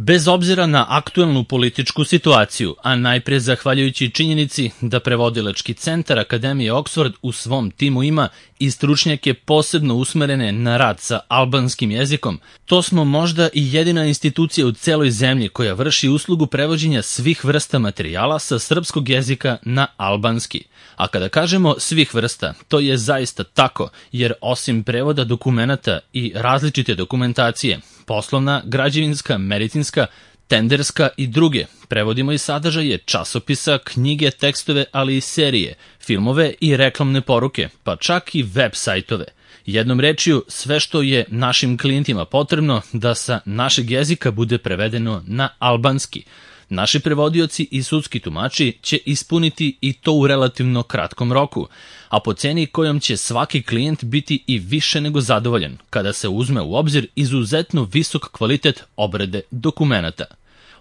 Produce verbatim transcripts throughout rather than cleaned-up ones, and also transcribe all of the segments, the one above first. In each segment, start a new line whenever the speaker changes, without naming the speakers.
Bez obzira na aktuelnu političku situaciju, a najpre zahvaljujući činjenici da prevodilački centar Akademije Oxford u svom timu ima i stručnjake posebno usmerene na rad sa albanskim jezikom, to smo možda i jedina institucija u celoj zemlji koja vrši uslugu prevođenja svih vrsta materijala sa srpskog jezika na albanski. A kada kažemo svih vrsta, to je zaista tako, jer osim prevoda dokumenata i različite dokumentacije, poslovna, građevinska, medicinska, tenderska i druge, prevodimo i sadržaje časopisa, knjige, tekstove, ali i serije, filmove i reklamne poruke, pa čak i web sajtove. Jednom rečju, sve što je našim klijentima potrebno da sa našeg jezika bude prevedeno na albanski. Naši prevodioci i sudski tumači će ispuniti i to u relativno kratkom roku, a po ceni kojom će svaki klijent biti i više nego zadovoljan kada se uzme u obzir izuzetno visok kvalitet obrade dokumenata.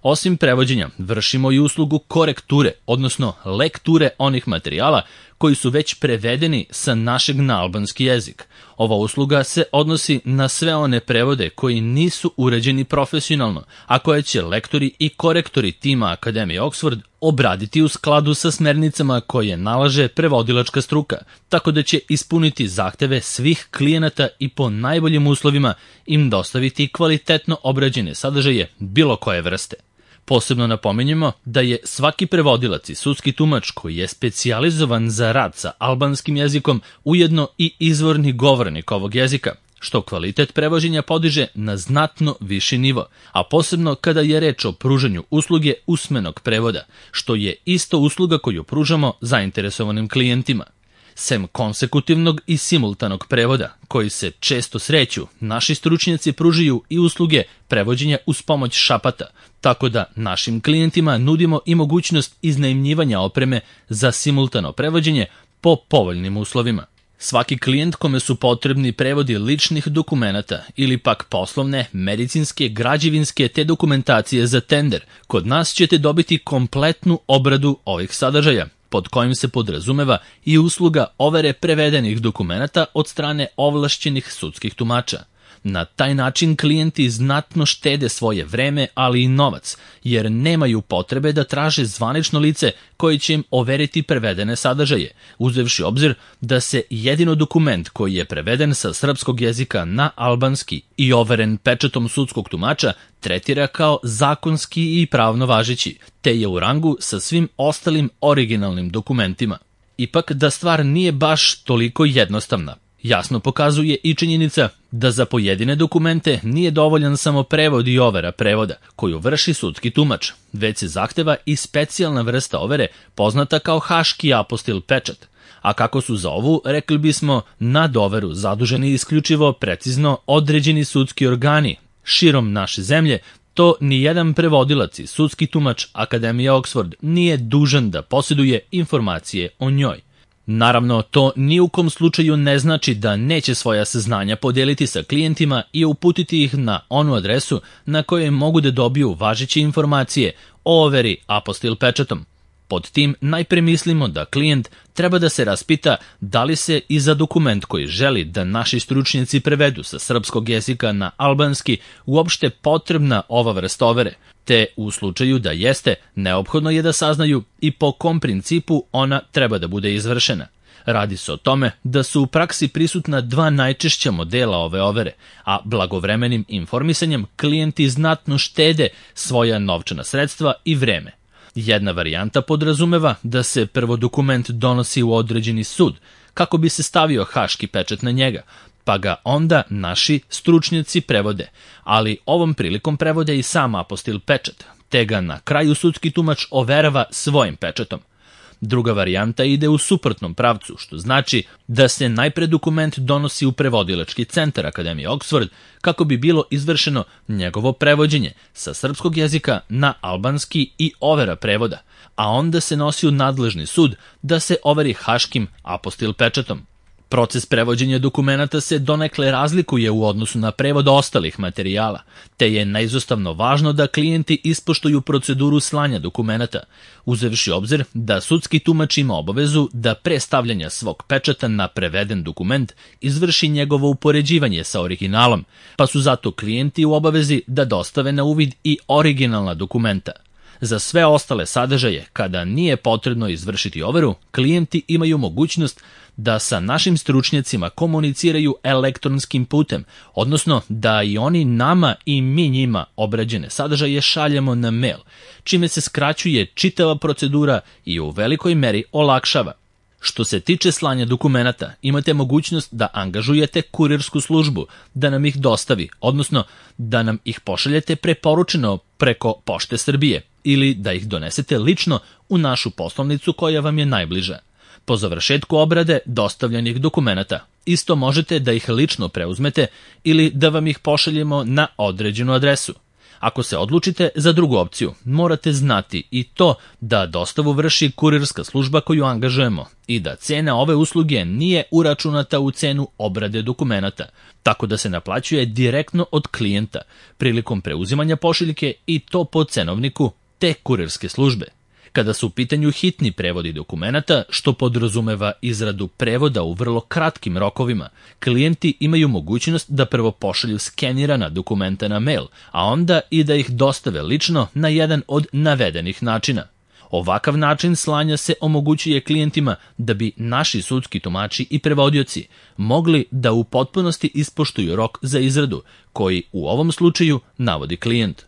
Osim prevođenja, vršimo i uslugu korekture, odnosno lekture onih materijala koji su već prevedeni sa našeg na albanski jezik. Ova usluga se odnosi na sve one prevode koji nisu uređeni profesionalno, a koje će lektori i korektori tima Akademije Oxford obraditi u skladu sa smernicama koje nalaže prevodilačka struka, tako da će ispuniti zahteve svih klijenata i po najboljim uslovima im dostaviti kvalitetno obrađene sadržaje bilo koje vrste. Posebno napominjemo da je svaki prevodilac i sudski tumač koji je specijalizovan za rad sa albanskim jezikom ujedno i izvorni govornik ovog jezika, što kvalitet prevođenja podiže na znatno viši nivo, a posebno kada je reč o pružanju usluge usmenog prevoda, što je isto usluga koju pružamo zainteresovanim klijentima. Sem konsekutivnog i simultanog prevoda, koji se često sreću, naši stručnjaci pružaju i usluge prevođenja uz pomoć šapata, tako da našim klijentima nudimo i mogućnost iznajmljivanja opreme za simultano prevođenje po povoljnim uslovima. Svaki klijent kome su potrebni prevodi ličnih dokumenata ili pak poslovne, medicinske, građevinske te dokumentacije za tender, kod nas ćete dobiti kompletnu obradu ovih sadržaja, pod kojim se podrazumeva i usluga overe prevedenih dokumenata od strane ovlašćenih sudskih tumača. Na taj način klijenti znatno štede svoje vreme, ali i novac, jer nemaju potrebe da traže zvanično lice koje će im overiti prevedene sadržaje, uzevši obzir da se jedino dokument koji je preveden sa srpskog jezika na albanski i overen pečatom sudskog tumača tretira kao zakonski i pravno važeći, te je u rangu sa svim ostalim originalnim dokumentima. Ipak da stvar nije baš toliko jednostavna, jasno pokazuje i činjenica da za pojedine dokumente nije dovoljan samo prevod i overa prevoda, koju vrši sudski tumač, već se zahteva i specijalna vrsta overe poznata kao haški apostil pečat. A kako su za ovu, rekli bismo, nad overu zaduženi isključivo precizno određeni sudski organi širom naše zemlje, to nijedan prevodilac i sudski tumač Akademije Oxford nije dužan da posjeduje informacije o njoj. Naravno, to ni u kom slučaju ne znači da neće svoja saznanja podeliti sa klijentima i uputiti ih na onu adresu na kojoj mogu da dobiju važeće informacije o overi apostil pečatom. Pod tim najpre mislimo da klijent treba da se raspita da li se i za dokument koji želi da naši stručnjaci prevedu sa srpskog jezika na albanski uopšte potrebna ova vrsta overe, te u slučaju da jeste, neophodno je da saznaju i po kom principu ona treba da bude izvršena. Radi se o tome da su u praksi prisutna dva najčešća modela ove overe, a blagovremenim informisanjem klijenti znatno štede svoja novčana sredstva i vreme. Jedna varijanta podrazumeva da se prvo dokument donosi u određeni sud, kako bi se stavio haški pečat na njega, pa ga onda naši stručnjaci prevode, ali ovom prilikom prevode i sam apostil pečat, te ga na kraju sudski tumač overava svojim pečatom. Druga varijanta ide u suprotnom pravcu, što znači da se najpre dokument donosi u prevodilački centar Akademije Oxford kako bi bilo izvršeno njegovo prevođenje sa srpskog jezika na albanski i overa prevoda, a onda se nosi u nadležni sud da se overi haškim apostil pečatom. Proces prevođenja dokumenata se donekle razlikuje u odnosu na prevod ostalih materijala, te je neizostavno važno da klijenti ispoštuju proceduru slanja dokumenata, uzevši obzir da sudski tumač ima obavezu da pre stavljanja svog pečata na preveden dokument izvrši njegovo upoređivanje sa originalom, pa su zato klijenti u obavezi da dostave na uvid i originalna dokumenta. Za sve ostale sadržaje, kada nije potrebno izvršiti overu, klijenti imaju mogućnost da sa našim stručnjacima komuniciraju elektronskim putem, odnosno da i oni nama i mi njima obrađene sadržaje šaljemo na mail, čime se skraćuje čitava procedura i u velikoj meri olakšava. Što se tiče slanja dokumenata, imate mogućnost da angažujete kurirsku službu da nam ih dostavi, odnosno da nam ih pošaljete preporučeno preko Pošte Srbije ili da ih donesete lično u našu poslovnicu koja vam je najbliža. Po završetku obrade dostavljenih dokumenata, isto možete da ih lično preuzmete ili da vam ih pošaljemo na određenu adresu. Ako se odlučite za drugu opciju, morate znati i to da dostavu vrši kurirska služba koju angažujemo i da cena ove usluge nije uračunata u cenu obrade dokumenata, tako da se naplaćuje direktno od klijenta prilikom preuzimanja pošiljke i to po cenovniku te kurirske službe. Kada su u pitanju hitni prevodi dokumenata, što podrazumeva izradu prevoda u vrlo kratkim rokovima, klijenti imaju mogućnost da prvo pošalju skenirana dokumenta na mail, a onda i da ih dostave lično na jedan od navedenih načina. Ovakav način slanja se omogućuje klijentima da bi naši sudski tumači i prevodioci mogli da u potpunosti ispoštuju rok za izradu, koji u ovom slučaju navodi klijent.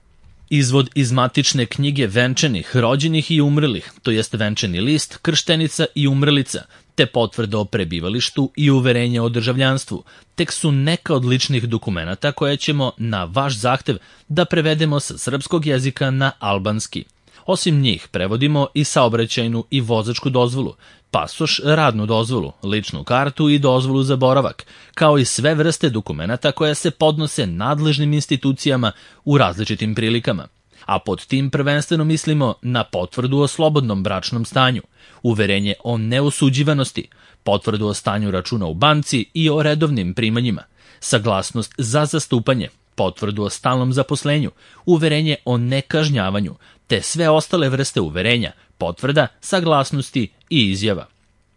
Izvod iz matične knjige venčanih, rođenih i umrlih, to jest venčani list, krštenica i umrlica, te potvrda o prebivalištu i uverenje o državljanstvu, tek su neka od ličnih dokumenata koje ćemo na vaš zahtev da prevedemo sa srpskog jezika na albanski. Osim njih prevodimo i saobraćajnu i vozačku dozvolu, pasoš, radnu dozvolu, ličnu kartu i dozvolu za boravak, kao i sve vrste dokumenata koje se podnose nadležnim institucijama u različitim prilikama. A pod tim prvenstveno mislimo na potvrdu o slobodnom bračnom stanju, uverenje o neosuđivanosti, potvrdu o stanju računa u banci i o redovnim primanjima, saglasnost za zastupanje, potvrdu o stalnom zaposlenju, uverenje o nekažnjavanju, te sve ostale vrste uverenja, potvrda, saglasnosti i izjava.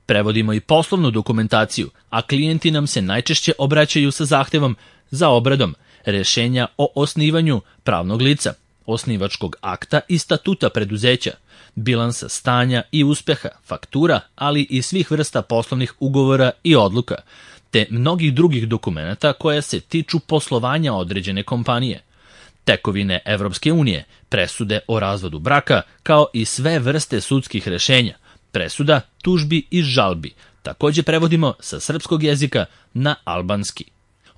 Prevodimo i poslovnu dokumentaciju, a klijenti nam se najčešće obraćaju sa zahtevom za obradom rešenja o osnivanju pravnog lica, osnivačkog akta i statuta preduzeća, bilansa stanja i uspeha, faktura, ali i svih vrsta poslovnih ugovora i odluka, te mnogih drugih dokumenata koje se tiču poslovanja određene kompanije. Tekovine Evropske unije, presude o razvodu braka, kao i sve vrste sudskih rešenja, presuda, tužbi i žalbi, takođe prevodimo sa srpskog jezika na albanski.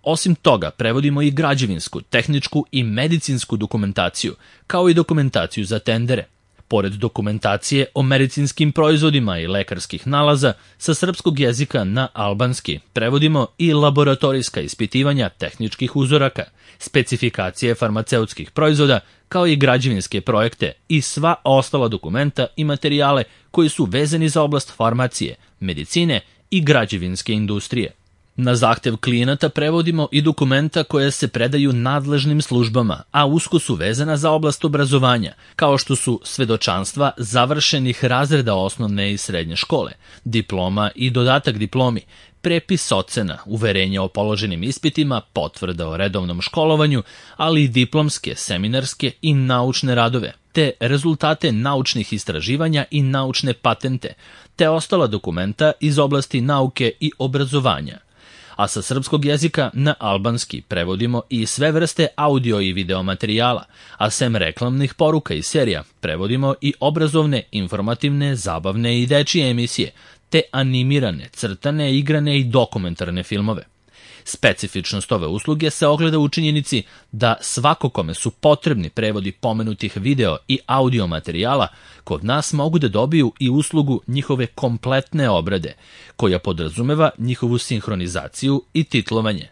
Osim toga, prevodimo i građevinsku, tehničku i medicinsku dokumentaciju, kao i dokumentaciju za tendere. Pored dokumentacije o medicinskim proizvodima i lekarskih nalaza, sa srpskog jezika na albanski prevodimo i laboratorijska ispitivanja tehničkih uzoraka, specifikacije farmaceutskih proizvoda, kao i građevinske projekte i sva ostala dokumenta i materijale koji su vezani za oblast farmacije, medicine i građevinske industrije. Na zahtev klijenata prevodimo i dokumenta koje se predaju nadležnim službama, a usko su vezana za oblast obrazovanja, kao što su svedočanstva završenih razreda osnovne i srednje škole, diploma i dodatak diplomi, prepis ocena, uverenja o položenim ispitima, potvrda o redovnom školovanju, ali i diplomske, seminarske i naučne radove, te rezultate naučnih istraživanja i naučne patente, te ostala dokumenta iz oblasti nauke i obrazovanja. A sa srpskog jezika na albanski prevodimo i sve vrste audio i video materijala, a sem reklamnih poruka i serija prevodimo i obrazovne, informativne, zabavne i dečije emisije, te animirane, crtane, igrane i dokumentarne filmove. Specifičnost ove usluge se ogleda u činjenici da svako kome su potrebni prevodi pomenutih video i audio materijala, kod nas mogu da dobiju i uslugu njihove kompletne obrade, koja podrazumeva njihovu sinhronizaciju i titlovanje.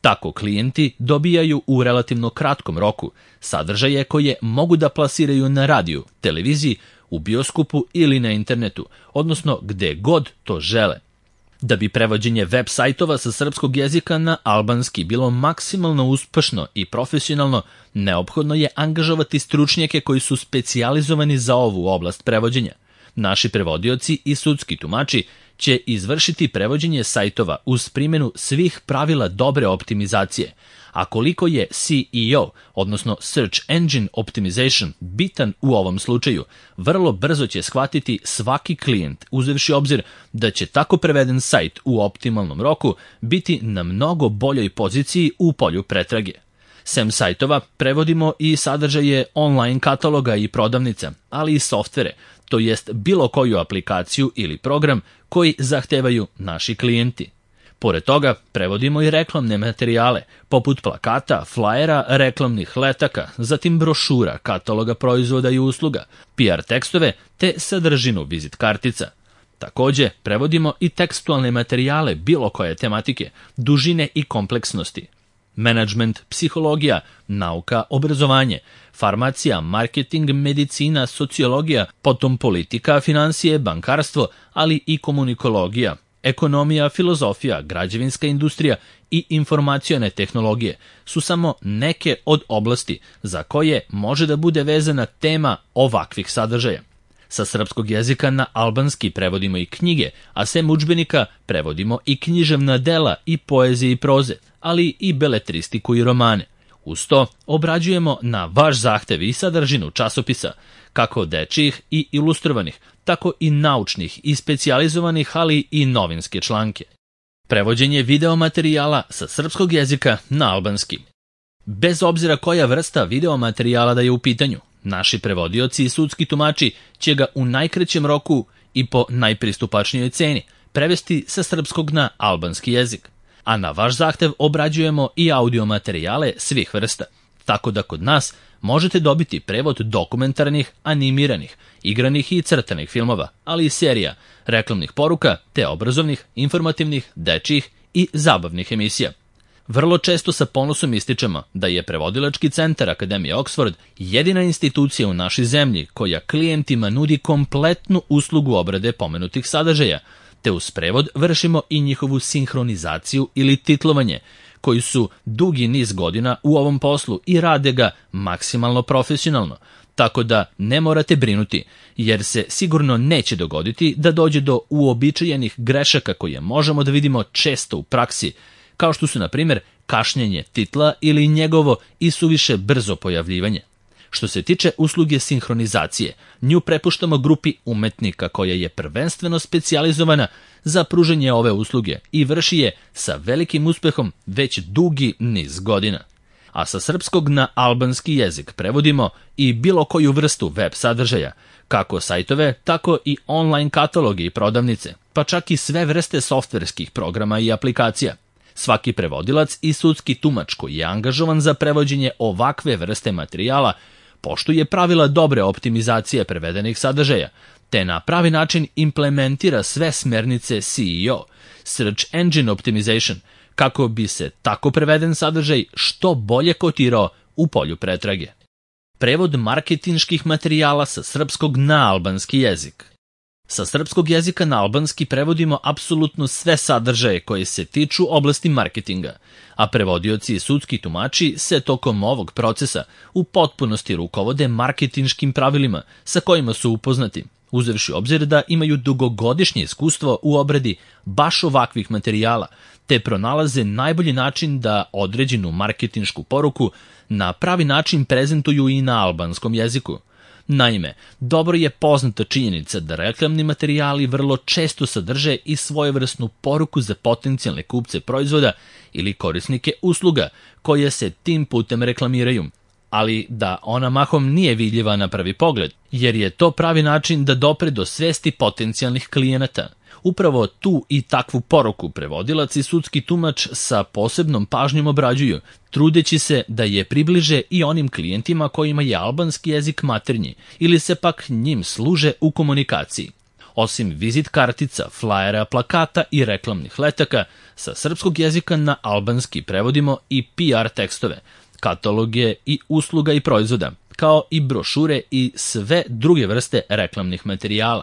Tako klijenti dobijaju u relativno kratkom roku sadržaje koje mogu da plasiraju na radiju, televiziji, u bioskopu ili na internetu, odnosno gde god to žele. Da bi prevođenje web sajtova sa srpskog jezika na albanski bilo maksimalno uspešno i profesionalno, neophodno je angažovati stručnjake koji su specijalizovani za ovu oblast prevođenja. Naši prevodioci i sudski tumači će izvršiti prevođenje sajtova uz primjenu svih pravila dobre optimizacije, a koliko je S E O, odnosno Search Engine Optimization, bitan u ovom slučaju, vrlo brzo će shvatiti svaki klijent, uzevši obzir da će tako preveden sajt u optimalnom roku biti na mnogo boljoj poziciji u polju pretrage. Sem sajtova, prevodimo i sadržaje online kataloga i prodavnica, ali i softvere, to jest bilo koju aplikaciju ili program koji zahtevaju naši klijenti. Pored toga, prevodimo i reklamne materijale, poput plakata, flajera, reklamnih letaka, zatim brošura, kataloga proizvoda i usluga, P R tekstove te sadržinu vizit kartica. Takođe, prevodimo i tekstualne materijale bilo koje tematike, dužine i kompleksnosti. Menadžment, psihologija, nauka, obrazovanje, farmacija, marketing, medicina, sociologija, potom politika, financije, bankarstvo, ali i komunikologija, ekonomija, filozofija, građevinska industrija i informacione tehnologije su samo neke od oblasti za koje može da bude vezana tema ovakvih sadržaja. Sa srpskog jezika na albanski prevodimo i knjige, a sem udžbenika prevodimo i književna dela i poezije i proze, ali i beletristiku i romane. Uz to obrađujemo na vaš zahtev i sadržinu časopisa, kako dečijih i ilustrovanih, tako i naučnih i specijalizovanih, ali i novinske članke. Prevođenje videomaterijala sa srpskog jezika na albanski. Bez obzira koja vrsta videomaterijala da je u pitanju, naši prevodioci i sudski tumači će ga u najkraćem roku i po najpristupačnijoj ceni prevesti sa srpskog na albanski jezik. A na vaš zahtev obrađujemo i audio materijale svih vrsta, tako da kod nas možete dobiti prevod dokumentarnih, animiranih, igranih i crtanih filmova, ali i serija, reklamnih poruka te obrazovnih, informativnih, dečijih i zabavnih emisija. Vrlo često sa ponosom ističemo da je Prevodilački centar Akademije Oxford jedina institucija u našoj zemlji koja klijentima nudi kompletnu uslugu obrade pomenutih sadržaja, te uz prevod vršimo i njihovu sinhronizaciju ili titlovanje, koji su dugi niz godina u ovom poslu i rade ga maksimalno profesionalno, tako da ne morate brinuti, jer se sigurno neće dogoditi da dođe do uobičajenih grešaka koje možemo da vidimo često u praksi, kao što su, na primjer, kašnjenje titla ili njegovo i suviše brzo pojavljivanje. Što se tiče usluge sinhronizacije, nju prepuštamo grupi umetnika koja je prvenstveno specijalizovana za pružanje ove usluge i vrši je sa velikim uspehom već dugi niz godina. A sa srpskog na albanski jezik prevodimo i bilo koju vrstu web sadržaja, kako sajtove, tako i online kataloge i prodavnice, pa čak i sve vrste softverskih programa i aplikacija. Svaki prevodilac i sudski tumač koji je angažovan za prevođenje ovakve vrste materijala poštuje pravila dobre optimizacije prevedenih sadržaja, te na pravi način implementira sve smernice S E O, Search Engine Optimization, kako bi se tako preveden sadržaj što bolje kotirao u polju pretrage. Prevod marketinških materijala sa srpskog na albanski jezik. Sa srpskog jezika na albanski prevodimo apsolutno sve sadržaje koje se tiču oblasti marketinga, a prevodioci i sudski tumači se tokom ovog procesa u potpunosti rukovode marketinškim pravilima sa kojima su upoznati, uzevši obzir da imaju dugogodišnje iskustvo u obradi baš ovakvih materijala, te pronalaze najbolji način da određenu marketinšku poruku na pravi način prezentuju i na albanskom jeziku. Naime, dobro je poznata činjenica da reklamni materijali vrlo često sadrže i svojevrsnu poruku za potencijalne kupce proizvoda ili korisnike usluga koje se tim putem reklamiraju, ali da ona mahom nije vidljiva na prvi pogled, jer je to pravi način da dopre do svesti potencijalnih klijenata. Upravo tu i takvu poruku prevodilac i sudski tumač sa posebnom pažnjom obrađuju, trudeći se da je približe i onim klijentima kojima je albanski jezik maternji ili se pak njim služe u komunikaciji. Osim vizit kartica, flajera, plakata i reklamnih letaka, sa srpskog jezika na albanski prevodimo i P R tekstove, kataloge i usluga i proizvoda, kao i brošure i sve druge vrste reklamnih materijala.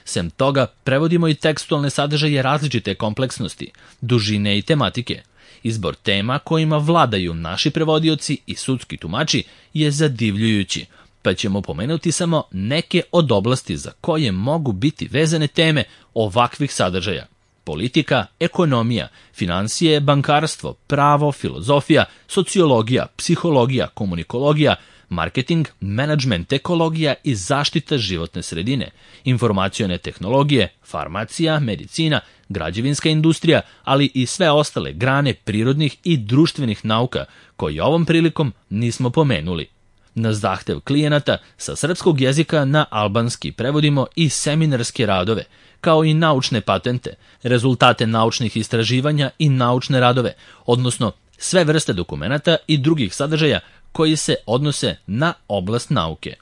Sem toga, prevodimo i tekstualne sadržaje različite kompleksnosti, dužine i tematike. Izbor tema kojima vladaju naši prevodioci i sudski tumači je zadivljujući, pa ćemo pomenuti samo neke od oblasti za koje mogu biti vezane teme ovakvih sadržaja. Politika, ekonomija, finansije, bankarstvo, pravo, filozofija, sociologija, psihologija, komunikologija, marketing, menadžment, ekologija i zaštita životne sredine, informacione tehnologije, farmacija, medicina, građevinska industrija, ali i sve ostale grane prirodnih i društvenih nauka koje ovom prilikom nismo pomenuli. Na zahtev klijenata sa srpskog jezika na albanski prevodimo i seminarske radove, kao i naučne patente, rezultate naučnih istraživanja i naučne radove, odnosno sve vrste dokumenata i drugih sadržaja koji se odnose na oblast nauke.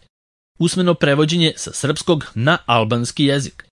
Usmeno prevođenje sa srpskog na albanski jezik.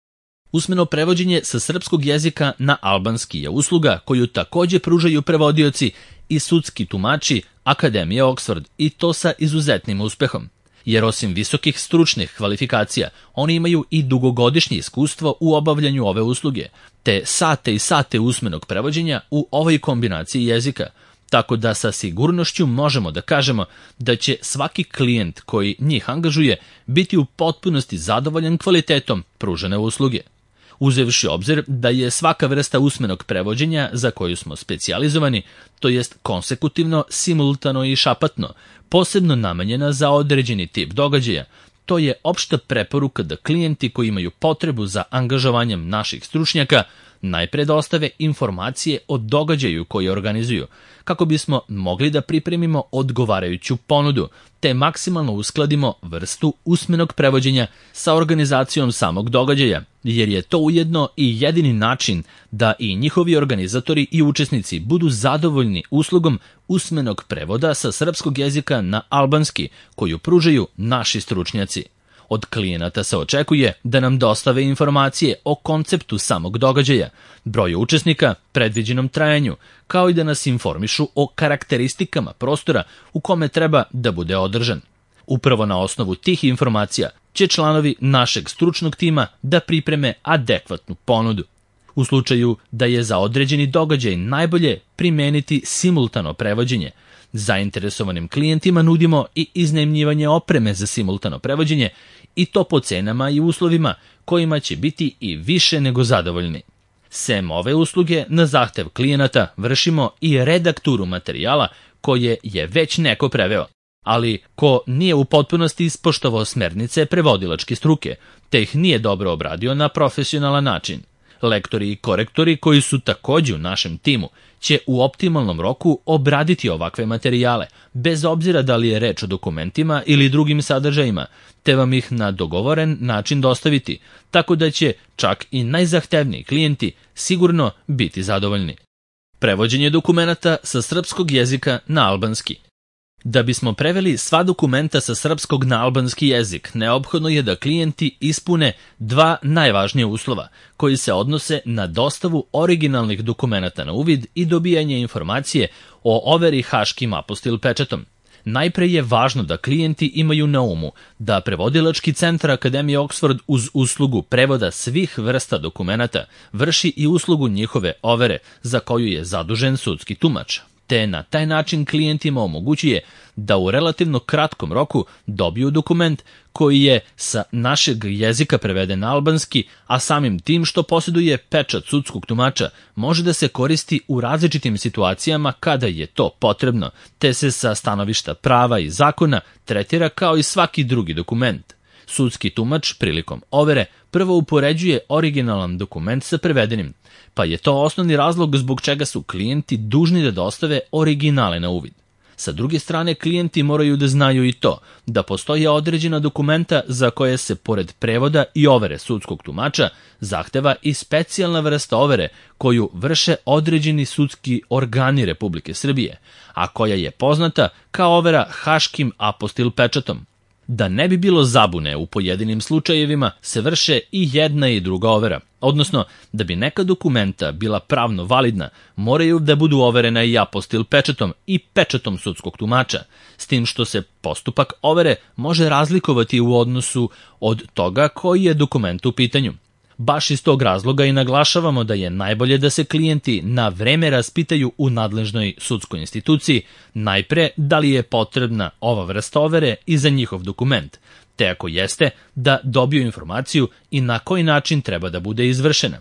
Usmeno prevođenje sa srpskog jezika na albanski je usluga koju takođe pružaju prevodioci i sudski tumači Akademije Oxford, i to sa izuzetnim uspehom. Jer osim visokih stručnih kvalifikacija, oni imaju i dugogodišnje iskustvo u obavljanju ove usluge, te sate i sate usmenog prevođenja u ovoj kombinaciji jezika, tako da sa sigurnošću možemo da kažemo da će svaki klijent koji njih angažuje biti u potpunosti zadovoljan kvalitetom pružene usluge. Uzevši obzir da je svaka vrsta usmenog prevođenja za koju smo specijalizovani, to jest konsekutivno, simultano i šapatno, posebno namenjena za određeni tip događaja, to je opšta preporuka da klijenti koji imaju potrebu za angažovanjem naših stručnjaka najpre dostave informacije o događaju koji organizuju, kako bismo mogli da pripremimo odgovarajuću ponudu, te maksimalno uskladimo vrstu usmenog prevođenja sa organizacijom samog događaja, jer je to ujedno i jedini način da i njihovi organizatori i učesnici budu zadovoljni uslugom usmenog prevoda sa srpskog jezika na albanski, koju pružaju naši stručnjaci. Od klijenata se očekuje da nam dostave informacije o konceptu samog događaja, broju učesnika, predviđenom trajanju, kao i da nas informišu o karakteristikama prostora u kome treba da bude održan. Upravo na osnovu tih informacija će članovi našeg stručnog tima da pripreme adekvatnu ponudu. U slučaju da je za određeni događaj najbolje primeniti simultano prevođenje, zainteresovanim klijentima nudimo i iznajmljivanje opreme za simultano prevođenje, i to po cenama i uslovima kojima će biti i više nego zadovoljni. Sem ove usluge, na zahtev klijenata vršimo i redakturu materijala koje je već neko preveo, ali ko nije u potpunosti ispoštovao smernice prevodilačke struke, te ih nije dobro obradio na profesionalan način. Lektori i korektori koji su takođe u našem timu će u optimalnom roku obraditi ovakve materijale, bez obzira da li je reč o dokumentima ili drugim sadržajima, te vam ih na dogovoren način dostaviti, tako da će čak i najzahtevniji klijenti sigurno biti zadovoljni. Prevođenje dokumenata sa srpskog jezika na albanski. Da bismo preveli sva dokumenta sa srpskog na albanski jezik, neophodno je da klijenti ispune dva najvažnija uslova, koji se odnose na dostavu originalnih dokumenata na uvid i dobijanje informacije o overi haškim apostil pečatom. Najpre je važno da klijenti imaju na umu da prevodilački centar Akademije Oxford uz uslugu prevoda svih vrsta dokumenata vrši i uslugu njihove overe za koju je zadužen sudski tumač, te na taj način klijentima omogućuje da u relativno kratkom roku dobiju dokument koji je sa našeg jezika preveden na albanski, a samim tim što posjeduje pečat sudskog tumača može da se koristi u različitim situacijama kada je to potrebno, te se sa stanovišta prava i zakona tretira kao i svaki drugi dokument. Sudski tumač prilikom overe prvo upoređuje originalan dokument sa prevedenim, pa je to osnovni razlog zbog čega su klijenti dužni da dostave originale na uvid. Sa druge strane, klijenti moraju da znaju i to da postoje određena dokumenta za koje se pored prevoda i overe sudskog tumača zahteva i specijalna vrsta overe koju vrše određeni sudski organi Republike Srbije, a koja je poznata kao overa haškim apostil pečatom. Da ne bi bilo zabune, u pojedinim slučajevima se vrše i jedna i druga overa, odnosno da bi neka dokumenta bila pravno validna, moraju da budu overena i apostil pečatom i pečatom sudskog tumača, s tim što se postupak overe može razlikovati u odnosu od toga koji je dokument u pitanju. Baš iz tog razloga i naglašavamo da je najbolje da se klijenti na vreme raspitaju u nadležnoj sudskoj instituciji najpre da li je potrebna ova vrsta overe i za njihov dokument, te ako jeste, da dobiju informaciju i na koji način treba da bude izvršena.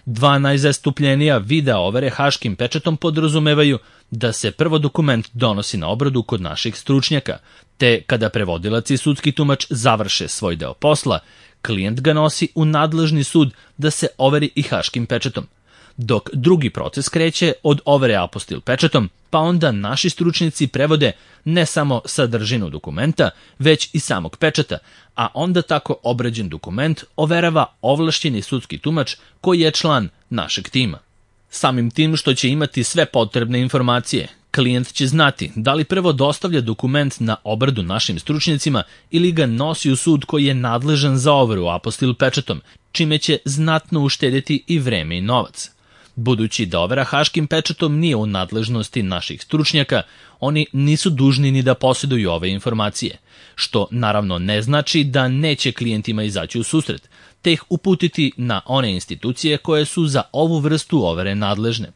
Dva najzastupljenija vida overe haškim pečatom podrazumevaju da se prvo dokument donosi na obradu kod naših stručnjaka, te kada prevodilac i sudski tumač završe svoj deo posla, klijent ga nosi u nadležni sud da se overi i haškim pečatom. Dok drugi proces kreće od overe apostil pečatom, pa onda naši stručnjaci prevode ne samo sadržinu dokumenta, već i samog pečata, a onda tako obrađen dokument overava ovlašćeni sudski tumač koji je član našeg tima. Samim tim što će imati sve potrebne informacije, klijent će znati da li prvo dostavlja dokument na obradu našim stručnjacima ili ga nosi u sud koji je nadležan za overu apostil pečatom, čime će znatno uštedjeti i vreme i novac. Budući da overa haškim pečatom nije u nadležnosti naših stručnjaka, oni nisu dužni ni da posjeduju ove informacije, što naravno ne znači da neće klijentima izaći u susret, te ih uputiti na one institucije koje su za ovu vrstu overe nadležne.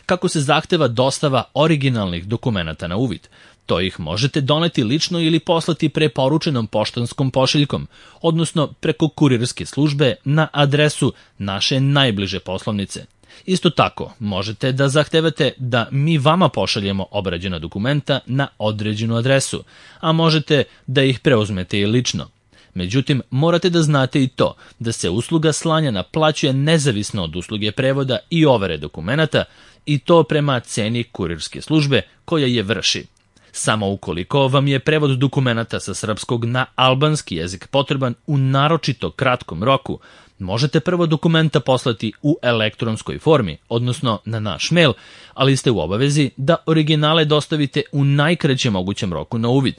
Kako se zahteva dostava originalnih dokumenata na uvid, to ih možete doneti lično ili poslati preporučenom poštanskom pošiljkom, odnosno preko kurirske službe na adresu naše najbliže poslovnice. Isto tako, možete da zahtevate da mi vama pošaljemo obrađena dokumenta na određenu adresu, a možete da ih preuzmete i lično. Međutim, morate da znate i to da se usluga slanja naplaćuje nezavisno od usluge prevoda i overe dokumenata i to prema ceni kurirske službe koja je vrši. Samo ukoliko vam je prevod dokumenata sa srpskog na albanski jezik potreban u naročito kratkom roku, možete prvo dokumenta poslati u elektronskoj formi, odnosno na naš mail, ali ste u obavezi da originale dostavite u najkraćem mogućem roku na uvid.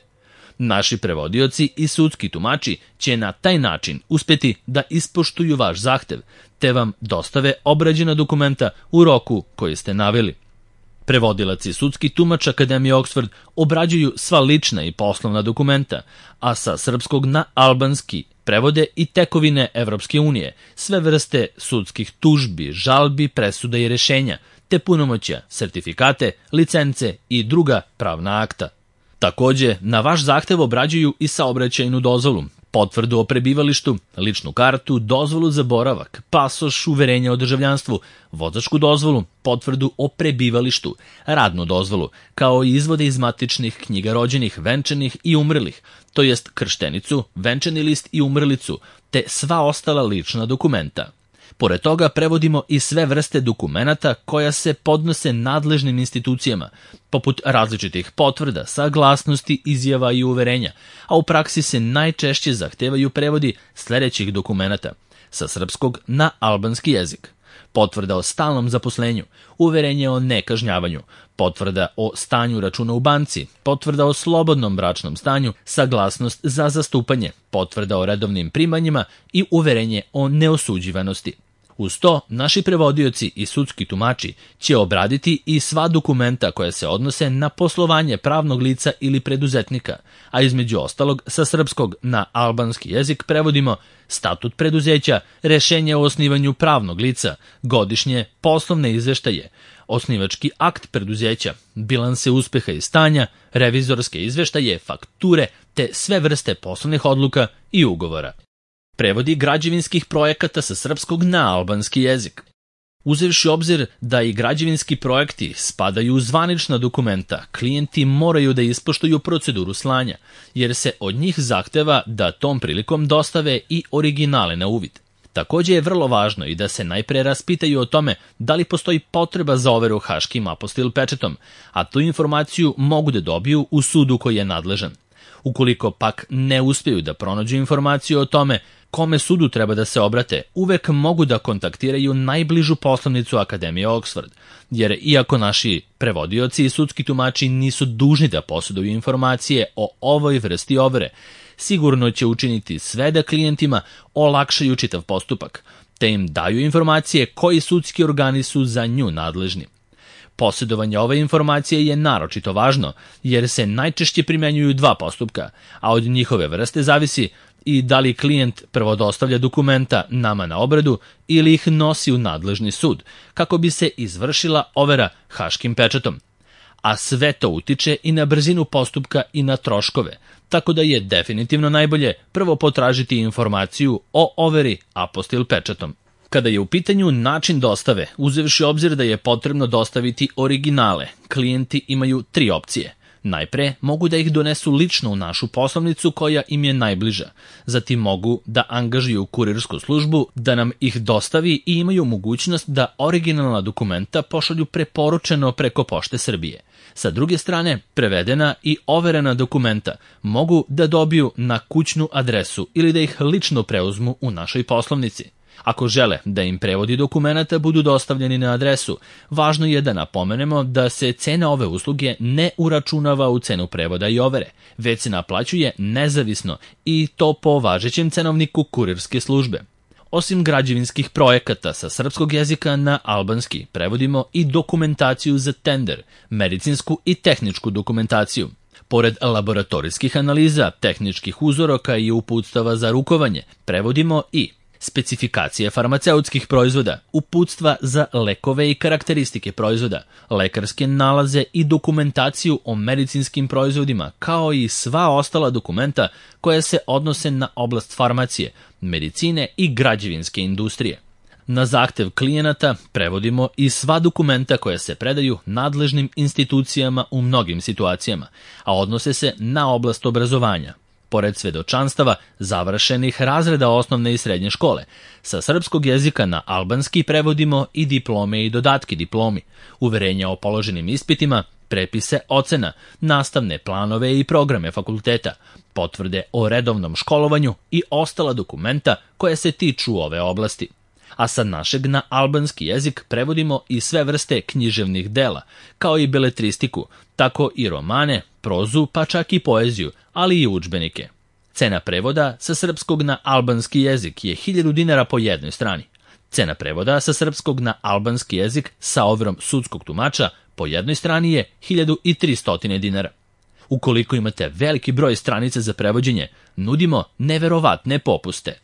Naši prevodioci i sudski tumači će na taj način uspeti da ispoštuju vaš zahtev, te vam dostave obrađena dokumenta u roku koji ste naveli. Prevodilac i sudski tumač Akademije Oxford obrađuju sva lična i poslovna dokumenta, a sa srpskog na albanski prevode i tekovine Evropske unije, sve vrste sudskih tužbi, žalbi, presuda i rešenja, te punomoćja, sertifikate, licence i druga pravna akta. Takođe, na vaš zahtev obrađuju i saobraćajnu dozvolu, potvrdu o prebivalištu, ličnu kartu, dozvolu za boravak, pasoš, uverenje o državljanstvu, vozačku dozvolu, potvrdu o prebivalištu, radnu dozvolu, kao i izvode iz matičnih knjiga rođenih, venčanih i umrlih, to jest krštenicu, venčani list i umrlicu, te sva ostala lična dokumenta. Pored toga prevodimo i sve vrste dokumenata koja se podnose nadležnim institucijama, poput različitih potvrda, saglasnosti, izjava i uverenja, a u praksi se najčešće zahtevaju prevodi sledećih dokumenata sa srpskog na albanski jezik: potvrda o stalnom zaposlenju, uverenje o nekažnjavanju, potvrda o stanju računa u banci, potvrda o slobodnom bračnom stanju, saglasnost za zastupanje, potvrda o redovnim primanjima i uverenje o neosuđivanosti. Uz to, naši prevodioci i sudski tumači će obraditi i sva dokumenta koja se odnose na poslovanje pravnog lica ili preduzetnika, a između ostalog sa srpskog na albanski jezik prevodimo statut preduzeća, rešenje o osnivanju pravnog lica, godišnje poslovne izveštaje, osnivački akt preduzeća, bilanse uspeha i stanja, revizorske izveštaje, fakture te sve vrste poslovnih odluka i ugovora. Prevodi građevinskih projekata sa srpskog na albanski jezik. Uzevši obzir da i građevinski projekti spadaju u zvanična dokumenta, klijenti moraju da ispoštuju proceduru slanja, jer se od njih zahteva da tom prilikom dostave i originale na uvid. Takođe je vrlo važno i da se najpre raspitaju o tome da li postoji potreba za overu haškim apostil pečatom, a tu informaciju mogu da dobiju u sudu koji je nadležan. Ukoliko pak ne uspeju da pronađu informaciju o tome kome sudu treba da se obrate, uvek mogu da kontaktiraju najbližu poslovnicu Akademije Oxford, jer iako naši prevodioci i sudski tumači nisu dužni da posjeduju informacije o ovoj vrsti overe, sigurno će učiniti sve da klijentima olakšaju čitav postupak, te im daju informacije koji sudski organi su za nju nadležni. Posjedovanje ove informacije je naročito važno, jer se najčešće primenjuju dva postupka, a od njihove vrste zavisi i da li klijent prvo dostavlja dokumenta nama na obradu ili ih nosi u nadležni sud, kako bi se izvršila overa haškim pečatom. A sve to utiče i na brzinu postupka i na troškove, tako da je definitivno najbolje prvo potražiti informaciju o overi apostil pečatom. Kada je u pitanju način dostave, uzevši obzir da je potrebno dostaviti originale, klijenti imaju tri opcije. Najpre mogu da ih donesu lično u našu poslovnicu koja im je najbliža. Zatim mogu da angažuju kurirsku službu da nam ih dostavi i imaju mogućnost da originalna dokumenta pošalju preporučeno preko Pošte Srbije. Sa druge strane, prevedena i overena dokumenta mogu da dobiju na kućnu adresu ili da ih lično preuzmu u našoj poslovnici. Ako žele da im prevodi dokumenata budu dostavljeni na adresu, važno je da napomenemo da se cena ove usluge ne uračunava u cenu prevoda i overe, već se naplaćuje nezavisno i to po važećem cenovniku kurirske službe. Osim građevinskih projekata sa srpskog jezika na albanski, prevodimo i dokumentaciju za tender, medicinsku i tehničku dokumentaciju. Pored laboratorijskih analiza, tehničkih uzoraka i uputstava za rukovanje, prevodimo i specifikacije farmaceutskih proizvoda, uputstva za lekove i karakteristike proizvoda, lekarske nalaze i dokumentaciju o medicinskim proizvodima, kao i sva ostala dokumenta koja se odnose na oblast farmacije, medicine i građevinske industrije. Na zahtev klijenata prevodimo i sva dokumenta koja se predaju nadležnim institucijama u mnogim situacijama, a odnose se na oblast obrazovanja. Pored svedočanstava završenih razreda osnovne i srednje škole, sa srpskog jezika na albanski prevodimo i diplome i dodatke diplomi, uverenja o položenim ispitima, prepise ocena, nastavne planove i programe fakulteta, potvrde o redovnom školovanju i ostala dokumenta koja se tiču ove oblasti. A sa našeg na albanski jezik prevodimo i sve vrste književnih dela, kao i beletristiku, tako i romane, prozu, pa čak i poeziju, ali i udžbenike. Cena prevoda sa srpskog na albanski jezik je hiljadu dinara po jednoj strani. Cena prevoda sa srpskog na albanski jezik sa overom sudskog tumača po jednoj strani je hiljadu tristo dinara. Ukoliko imate veliki broj stranica za prevođenje, nudimo neverovatne popuste.